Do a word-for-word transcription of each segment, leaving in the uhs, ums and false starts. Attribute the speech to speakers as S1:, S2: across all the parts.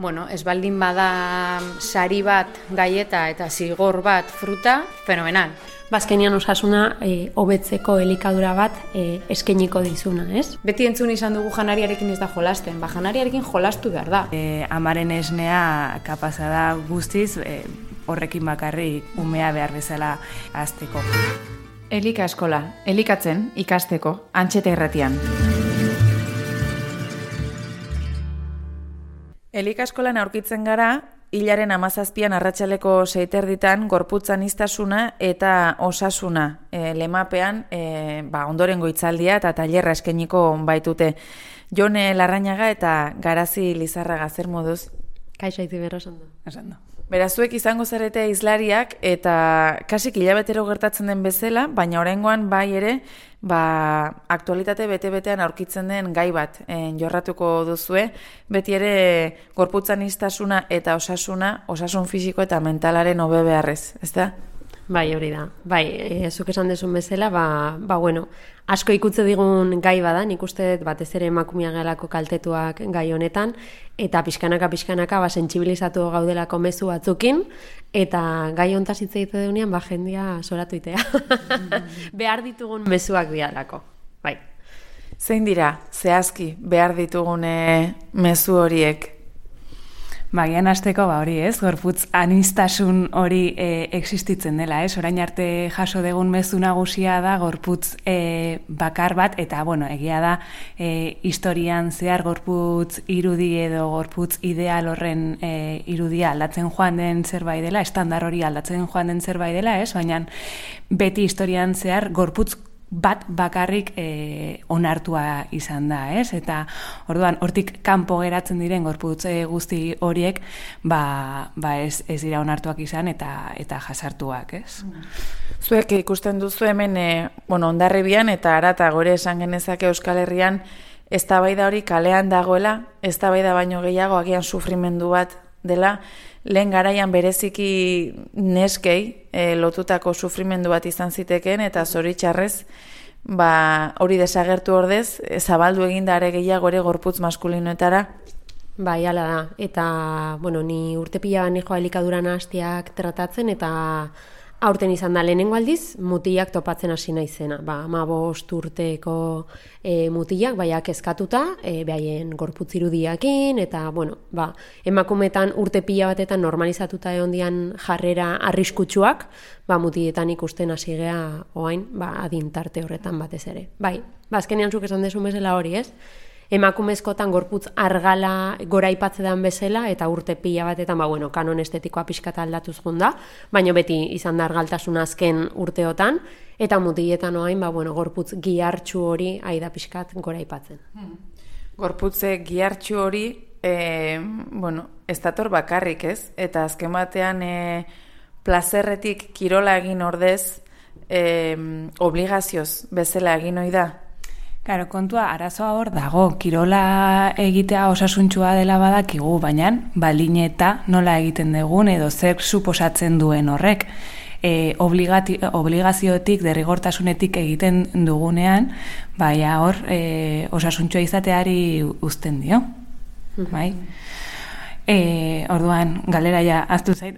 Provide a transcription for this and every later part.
S1: bueno, ez baldin bada sari bat gaieta eta zigor bat fruta, fenomenal.
S2: Bazkenian osasuna e, hobetzeko elikadura bat e, eskainiko dizuna, ez?
S1: Beti entzun izan dugu janariarekin ez da jolasten, ba janariarekin jolastu behar da.
S3: E, amaren esnea kapaza da guztiz, e, horrekin bakarrik umea behar bezala hazteko.
S4: Elika eskola, elikatzen ikasteko, Antxeta Irratian. Elika eskolan aurkitzen gara, hilaren hamazazpian arratsaleko seiterditan gorputz aniztasuna eta osasuna e, lemapean e, ba, ondorengo hitzaldia eta tailerra eskainiko baitute. Jone Larrañaga eta Garazi Lizarraga, zer moduz?
S2: Kaixo Itziber, osondo.
S4: Osondo. Berazuek izango zarete hizlariak eta kasik hilabetero gertatzen den bezala, baina oraingoan bai ere, ba, aktualitate bete-betean aurkitzen den gai bat en, jorratuko duzue, beti ere gorputzaniztasuna eta osasuna, osasun fisiko eta mentalaren hobe beharrez, ez da?
S2: Bai, hori da. Bai, e, zuk esan dezun bezala, ba, ba bueno, asko ikutze digun gai bada, nik uste batez ere emakumea gelako kaltetuak gai honetan, eta pixkanaka-pixkanaka ba, sentsibilizatu gaudelako mezu batzukin, eta gai hontaz hitz egite duenean, ba, jendia soratu itea. Behar ditugun mezuak dialako, bai.
S4: Zein dira, zehazki, behar ditugune mezu horiek?
S3: Bagian hasteko ba hori, ez? Gorputz aniztasun hori e, existitzen dela, ez? Orain arte jaso degun mezu nagusia da gorputz e, bakar bat eta bueno, egia da e, historian zehar gorputz irudi edo gorputz ideal horren e, irudia aldatzen joan den zerbait dela, estandar hori aldatzen joan den zerbait dela, ez? Baina beti historian zehar gorputz bat bakarrik e, onartua izan da, ez? Eta orduan hortik kanpo geratzen diren gorputz guzti horiek ba, ba ez, ez dira onartuak izan eta eta jasartuak, ez?
S4: Zuek ikusten duzu hemen e, bueno, Hondarribian eta Arata gore esan genezake Euskal Herrian eztabaida hori kalean dagoela, eztabaida baino gehiago agian sufrimendu bat dela, lehen garaian bereziki neskei e, lotutako sufrimendu bat izan zitekeen eta zoritxarrez ba, hori desagertu ordez e, zabaldu egindare gehiago ere gorputz maskulinoetara.
S2: Bai, hala da. Eta, bueno, ni urte pila ban joa elikaduran hastiak tratatzen eta aurten izan da lehenengo aldiz, mutilak topatzen hasi naizena. Ba, hamabost urteko e, mutilak, baiak eskatuta, e, behaien gorputz irudiakin, eta, bueno, ba, emakumetan urte pila batetan normalizatuta egondian jarrera arriskutsuak, ba, mutiletan ikusten hasi gea oain, ba, adintarte horretan batez ere. Bai, ba, azkenean zuk esan desun bezala hori, ez? Emakumezkotan gorputz argala goraipatzetan bezala eta urte pila batetan, ba, bueno, kanon estetikoa pixkata aldatuz junda, baina beti izan da argaltasuna azken urteotan, eta mutiletan oain, ba, bueno, gorputz gihartxu hori aida pixkat goraipatzen.
S4: Hmm. Gorputze gihartxu hori, e, bueno, ez dator bakarrik, ez? Eta azken batean e, plazerretik kirola egin ordez, e, obligazioz bezala egin ohi da.
S3: Claro, kontua arazoa hor dago, kirola egitea osasuntxua dela badakigu, baina balineta nola egiten dugun edo zer suposatzen duen horrek. E, obligati, obligazioetik, derrigortasunetik egiten dugunean, baina hor e, osasuntxua izateari uzten dio. Bai? E, orduan, galera ja, aztu zait.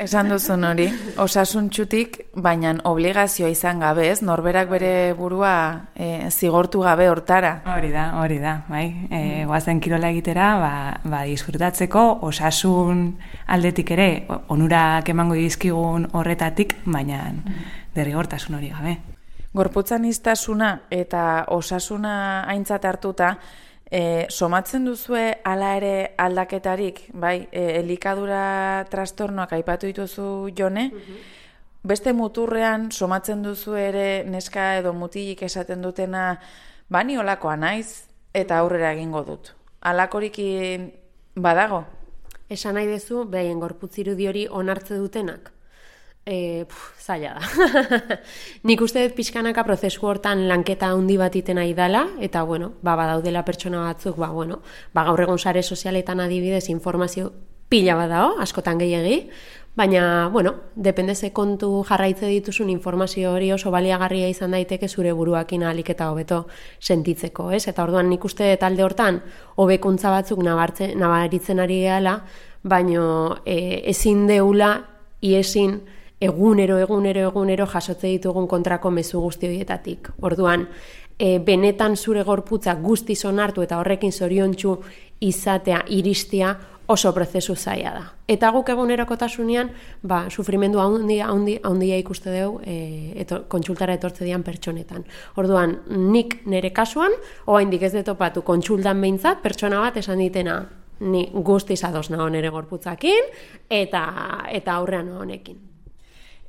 S4: Esan duzun hori, osasuntxutik, baina obligazioa izan gabe, ez? Norberak bere burua e, zigortu gabe hortara.
S3: Hori da, hori da, bai. E, goazen kirola egitera, ba, ba disfrutatzeko, osasun aldetik ere, onurak emango dizkigun horretatik, baina derrigortasun hori gabe.
S4: Gorputzaniztasuna eta osasuna aintzat hartuta, E, somatzen duzue hala ere aldaketarik, bai, e, elikadura trastornoak aipatu dituzu Jone, mm-hmm. Beste muturrean somatzen duzu ere neska edo mutilik esaten dutena, bani olakoa naiz eta aurrera egingo dut. Halakorikin badago?
S2: Esan nahi dezu, behaien gorputz irudi hori onartze dutenak. E, puf, zaila da. Nik uste dut pixkanaka prozesu hortan lanketa handi bat iten nahi dela, eta bueno, ba, badaudela pertsona batzuk, ba, bueno, ba, gaur egon sare sozialetan adibidez informazio pila badao, askotan gehiegi, baina, bueno, depende ze kontu jarraitze dituzun informazio hori oso baliagarria izan daiteke zure buruakin ahalik eta hobeto sentitzeko, ez? Eta orduan nik uste talde hortan hobekuntza batzuk nabartzen, nabaritzen ari gehala, baino e, ezin deula iesin egunero, egunero, egunero jasotze ditugun kontrako mezu guzti horietatik. Orduan, e, benetan zure gorputza guztiz onartu eta horrekin zoriontsu izatea, iristea, oso prozesu zaila da. Eta guk egunerokotasunean, ba, sufrimendu handia, handia, handia ikuste dugu e, eto, kontsultara etortze dian pertsonetan. Orduan, nik nire kasuan, oraindik ez detopatu kontsultan behintzat, pertsona bat esan ditena, ni guztiz ados nago nire gorputzakin, eta, eta aurrean honekin.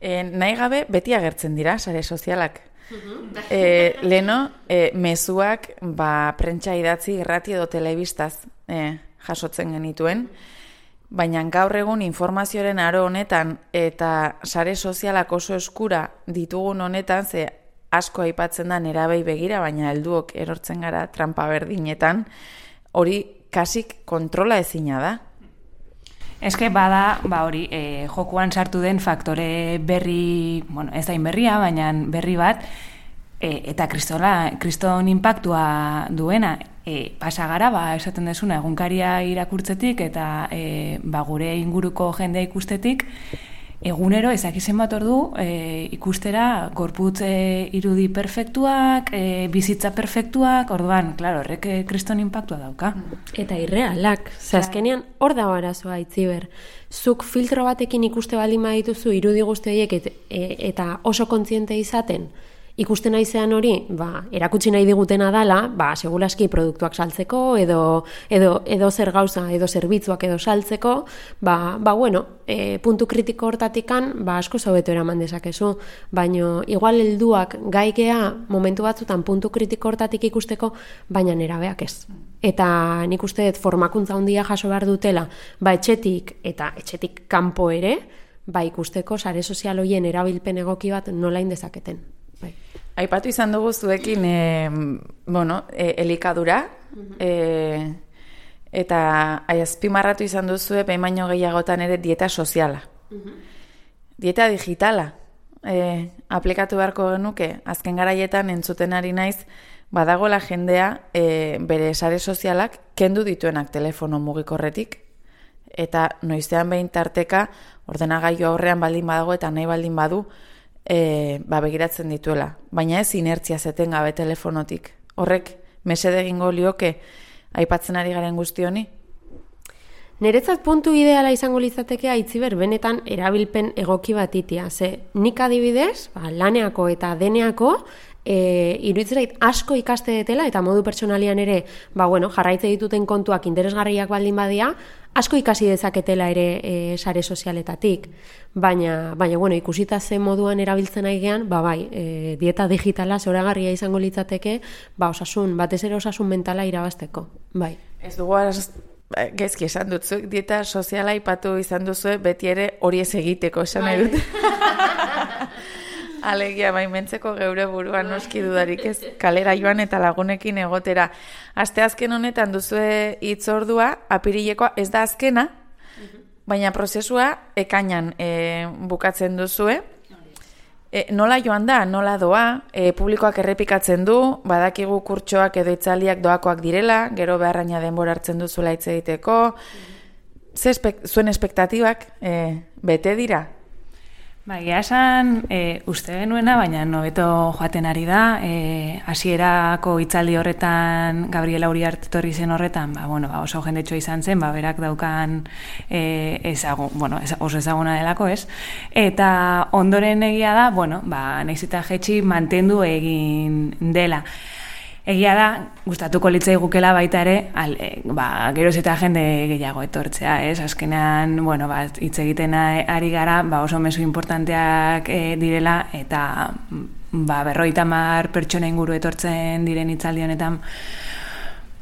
S4: E, nahi gabe, beti agertzen dira, sare sozialak. e, leno, e, mezuak, ba, prentsa idatzi, irrati edo telebistaz, e, jasotzen genituen, baina gaur egun informazioaren aro honetan eta sare sozialak oso eskura ditugun honetan, ze asko aipatzen da nerabei begira, baina helduok erortzen gara trampa berdinetan, hori kasik kontrola ezina da.
S3: Eske bada, ba hori, e, jokuan sartu den faktore berri, bueno, ez dain berria, baina berri bat, e, eta kristola, kriston inpaktua duena, e, pasagara, ba, esaten desuna, egunkaria irakurtzetik, eta e, ba, gure inguruko jendea ikustetik, egunero ezakizen bat ordu e, ikustera gorputz e, irudi perfektuak, e, bizitza perfektuak, orduan, klaro, horrek e, kriston inpaktua dauka.
S2: Eta irrealak, ze azkenean hor da arazoa Itziber. Zuk filtro batekin ikuste baldin badituzu irudi guzti horiek et, e, eta oso kontziente izaten, ikusten naizean hori, ba, erakutsi nahi digutena dala, ba, segulaski produktuak saltzeko, edo, edo, edo zer gauza, edo zerbitzuak edo saltzeko, ba, ba bueno, e, puntu kritiko hortatikan, ba, asko zaubeto eraman dezakezu, baino, igual helduak gaigea momentu batzutan puntu kritiko hortatik ikusteko, baina nerabeak ez. Eta nik uste dut formakuntza handia jaso behar dutela, ba, etxetik, eta etxetik kanpo ere, ba, ikusteko sare sozial horien erabilpen egoki bat nola indezaketen. Bai.
S4: Aipatu izan dugu zuekin e, bueno, e, elikadura e, eta azpimarratu izan duzue behin baino gehiagotan ere dieta soziala. Dieta digitala e, aplikatu beharko genuke, azken garaietan entzuten ari naiz, badagoela jendea e, bere sare sozialak kendu dituenak telefono mugikorretik, eta noizean behin tarteka ordenagailu aurrean baldin badago eta nahi baldin badu, E, ba, begiratzen dituela, baina ez inertzia zeten gabe telefonotik. Horrek mesede egingo lioke aipatzen ari garen guzti honi?
S2: Niretzat puntu ideala izango litzateke Itziber benetan erabilpen egoki bat itia. Ze nik adibidez, ba, laneako eta deneako e, iruditzait asko ikaste detela eta modu pertsonalian ere, ba, bueno, jarraitze dituten kontuak interesgarriak baldin badia, asko ikasi dezaketela ere e, sare sozialetatik, baina, baina bueno, ikusita ze moduan erabiltzen aigean, ba bai, e, dieta digitala zoragarria izango litzateke, ba osasun, batez ere osasun mentala irabazteko, bai.
S4: Ez dugu az, gezki esan dutzuek, dieta soziala ipatu izan duzue, beti ere hori ez egiteko, esan nahi dut. Alegia, baimentzeko geure buruan noski dudarik ez, kalera joan eta lagunekin egotera. Asteazken honetan duzue hitzordua, apirilekoa ez da azkena, baina prozesua ekainan e, bukatzen duzue. E, nola joan da, nola doa, e, publikoak errepikatzen du, badakigu kurtsoak edo itzaldiak doakoak direla, gero beharraina denbora hartzen duzula hitz egiteko. Ze espek, zuen espektatibak e, bete dira?
S3: Ba, egia esan, e, uste genuena, baina nobeto joaten ari da, e, hasierako hitzaldi horretan, Gabriela Uriarte etorri zen horretan, ba, bueno, ba, oso jendetxo izan zen, ba, berak daukan e, ezagun, bueno, oso ezaguna delako, ez? Eta ondoren egia da, bueno, ba, nahiz eta jetxi mantendu egin dela. Egia da, gustatuko litzai gukela baita ere, al, e, ba, geroz eta jende gehiago etortzea, ez? Azkenean, bueno, ba, hitz egiten ari gara, ba, oso mezu importanteak e, direla, eta ba, berrogeita hamar pertsona inguru etortzen diren hitzaldi honetan,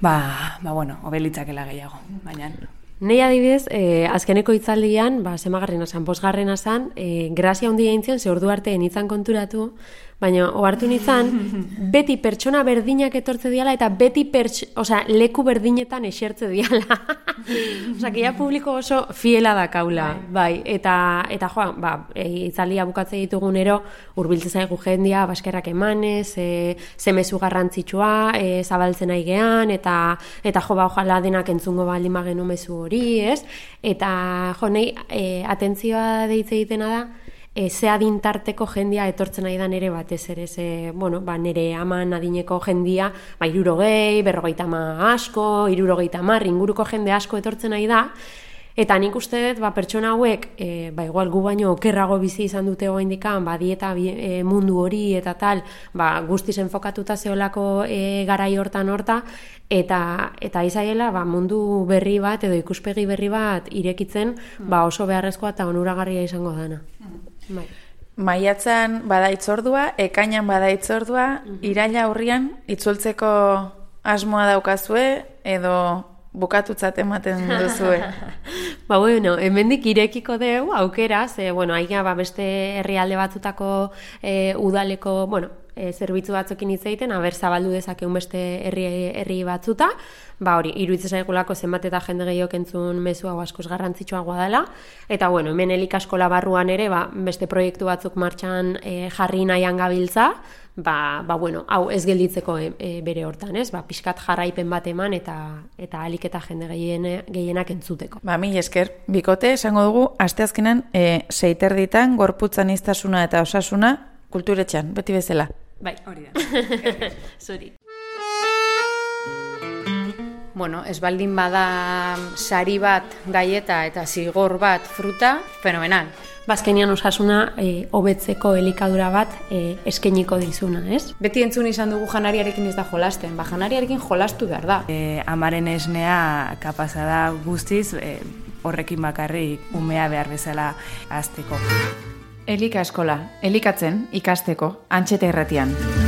S3: ba, ba, bueno, hobe litzakela gehiago, baina...
S2: Nei adibidez, eh, azkeneko hitzaldian, ba, zemagarrena zan, bosgarrena zan, eh, grazia handia eintzen, ze ordu artean itzan konturatu, baina ohartu nintzen, beti pertsona berdinak etortze diala, eta beti perts, osea, leku berdinetan esertze diala. Osa, ja publiko oso fiela da kaula, bai, eta, eta joa, ba, e, itzaldia bukatze ditugunero, urbiltze zaigu jendia, baskerrak emanez, e, zemezu garrantzitsua, e, zabaltzen aigean, eta, eta jo, ba, ojala denak entzungo baldin bagenu mezu hori, ez? Eta, jo, nahi, e, atentzioa deitze egitena da, E, ze adintarteko jendia etortzen nahi da nere batez ere, ze, bueno, ba, nere aman adineko jendia, ba, irurogei, berrogeita ma asko, irurogeita mar, inguruko jende asko etortzen nahi da, eta nik uste dut, ba, pertsona hauek, e, ba, igual gu baino okerrago bizi izan dute goaindikan, ba, dieta e, mundu hori eta tal, ba, guztiz enfokatuta zeolako e, garai hortan horta, eta eta izaiela, ba, mundu berri bat edo ikuspegi berri bat irekitzen, ba, oso beharrezkoa eta onuragarria izango dana. Bai.
S4: Maiatzan bada itzordua, ekainan bada itzordua, mm-hmm. Iraila aurrian itzultzeko asmoa daukazue edo bukatutzat ematen duzue.
S2: Ba, bueno, hemendik irekiko dugu aukera, ze, bueno, aia, ba, beste herrialde batzutako e, udaleko, bueno, e, zerbitzu batzukin hitz egiten, aber zabaldu dezakeun beste herri, herri batzuta, ba hori, iruditzen zaigulako zenbat eta jende gehiok entzun mezu hau askoz garrantzitsuagoa dela, eta bueno, hemen elikaskola barruan ere, ba, beste proiektu batzuk martxan e, jarri nahian gabiltza, ba, ba bueno, hau ez gelditzeko e, e, bere hortan, ez? Ba, pixkat jarraipen bat eman eta eta alik eta jende gehiene, gehienak entzuteko.
S4: Ba, mil esker, bikote, esango dugu, asteazkenan e, seiterditan, gorputzan iztasuna eta osasuna, kulturetxean, beti bezala.
S2: Bai, hori da. Zuri.
S1: Bueno, ez baldin bada sari bat gaieta eta zigor bat fruta, fenomenal.
S2: Bazkenian osasuna e, hobetzeko elikadura bat e, eskeniko dizuna, ez?
S1: Beti entzun izan dugu janariarekin ez da jolasten, ba janariarekin jolastu behar da.
S3: E, amaren esnea kapaza da guztiz, e, horrekin bakarrik umea behar bezala azteko.
S4: Elika eskola, elikatzen ikasteko, Antxeta Irratian.